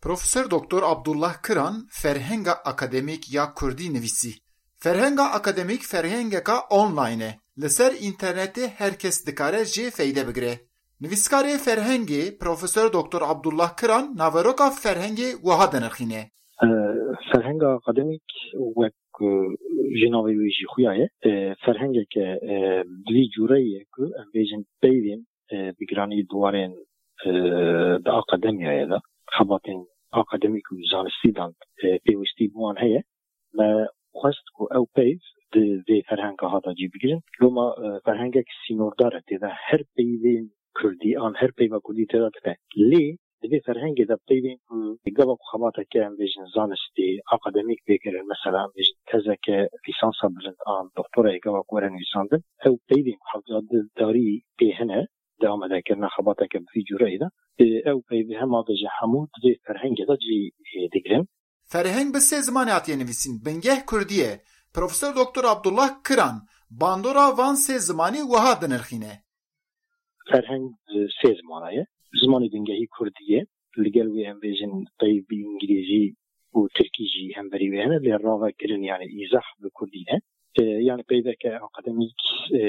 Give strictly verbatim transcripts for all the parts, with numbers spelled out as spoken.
Profesor Doktor Abdullah Kiran ferhenga akademîk ya kurdî nivîsî. Ferhenga akademîk ferhengeka online e. Li ser înternetê her kes dikare jê feyde bigire. Nivîskarê ferhengê Profesor Doktor Abdullah Kiran naveroka ferhengê wiha dinirxîne. Ferhenga akademîk wek ji navê wê jî xuya ye. Ferhengeke bi vî cûreyê ye ku em bêjin peyvên bi giranî di warên di akademiyayê de xebatên akademîk û zanistî dan pêwistî bi wan heye. Me xwest ku ew peyv di vê ferhenga hata cî bigirin. Loma ferhengek sînordar e, tê de her peyvên kurdî an her peyva kurdî tê de dibe. Lê di vê ferhengê de peyvên ku gava ku xebateke em bêjin zanistî, akademîk pê kirin, mesela em bêjin tezeke lîsansa bilind an doktorayê gava ku were nivîsandin, ew peyvên ku hewce di darî pê hene, di amadekirina xebateke bi vî cûreyê de, ew peyvê hema de ji hemû di vê ferhengê de cî digirin. Ferheng bi sê zimanê hatiye nivîsîn, bingeh kurdî ye. Profesor Doktor Abdullah Kiran bandora van sê zimanî wiha dinirxîne. Ferheng bi sê zimana ye. Zimanê bingehî kurdî ye. Li gel wê em bêjin peyv bi îngilîzî û tirkî jî hemberî wê hene, lê ravekirin, yani îzah bi kurdî ne. E, yani peyveke akademîk, e,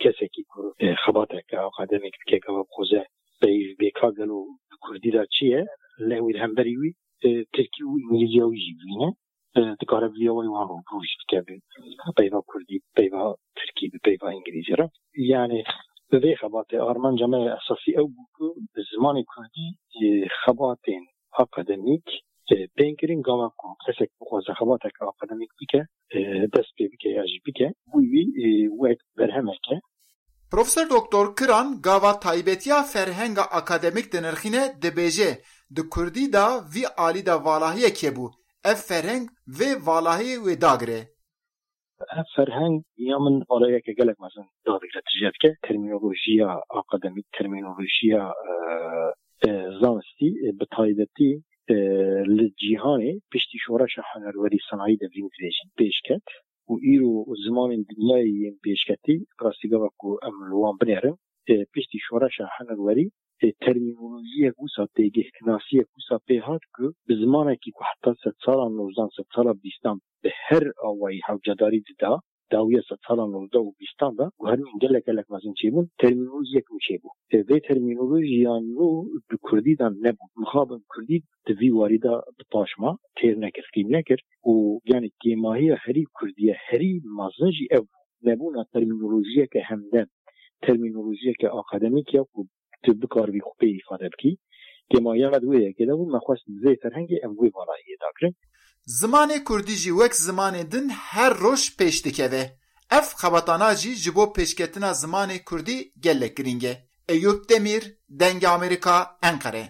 kesekî ku, e, xebateke akademîk dike, gava bixwaze peyv bêka gelo bi kurdî de çi ye, lê wî li hemberî wî, e, tirkî û îngilîziya wî jî bibîne. E, dikare bi vî awayî wan rûbirû jî bike bi peyva kurdî, bi peyva tirkî, bi peyva îngilîzî re. Yani bi vê xebatê armanca me esasî ew bû ku bi zimanê kurdî, e, xebatên akademîk, e, bên kirin, gava ku kesek bixwaze xebateke akademîk bike, e, dest pê bike ya jî bike, bû wî, e, wek berhemeke. Profesor Doktor Kiran gava taybetiya ferhenga akademîk dinirxîne, dibêje, di kurdî de vî alî de valahiyek hebû. Ev ferheng vê valahiyê wê dagire. Ev ferheng ya min valahiyeke gelek mezin dadigre, tije dike. Termînolojiya akademîk, termînolojiya, e, e, zanistî, e, bi taybetî, e, li cîhanê piştî şoreşa hunerwerî, sanayî de vîn dibêjin, pêş ket û îro zimanên dinyayê yên pêşketî, rastî gava ku em li wan binêrin, e, piştî şoreşa hunerwerî, e, termînolojiyek wisa, têgihtinasiyek wisa pê hat ku bi zimanekî ku heta sedsala nozdan, sedsala bîstan bi her awayî hewcedarî dida, dawiya sedsala nozda û bîstan de guherînên gelek gelek mezin çêbûn, termînolojiyek nû çêbû. E, vê termînolojiya nû di kurdî de nebû. Mixabin kurdî di vî warî de bi paş ma, têr nekir, qîm nekir û, yani, kêmahiya herî kurdiye, herî mezin jî ev bû. Nebûna termînolojiyeke hemdem, termînolojiyeke akademîk ya ku tu bikaribî xwe pê îfade bikî. Kêmahiya me di wê yekê de bû, me xwest bi vê ferhengê em wê valahiyê dagirin. Zimanê kurdî jî wek zimanê din her roj pêş dikeve. Ev xebatana jî ji bo pêşketina zimanê kurdî gelek girîng e. Eyûp Demîr, Dengê Amerîka, Enqere.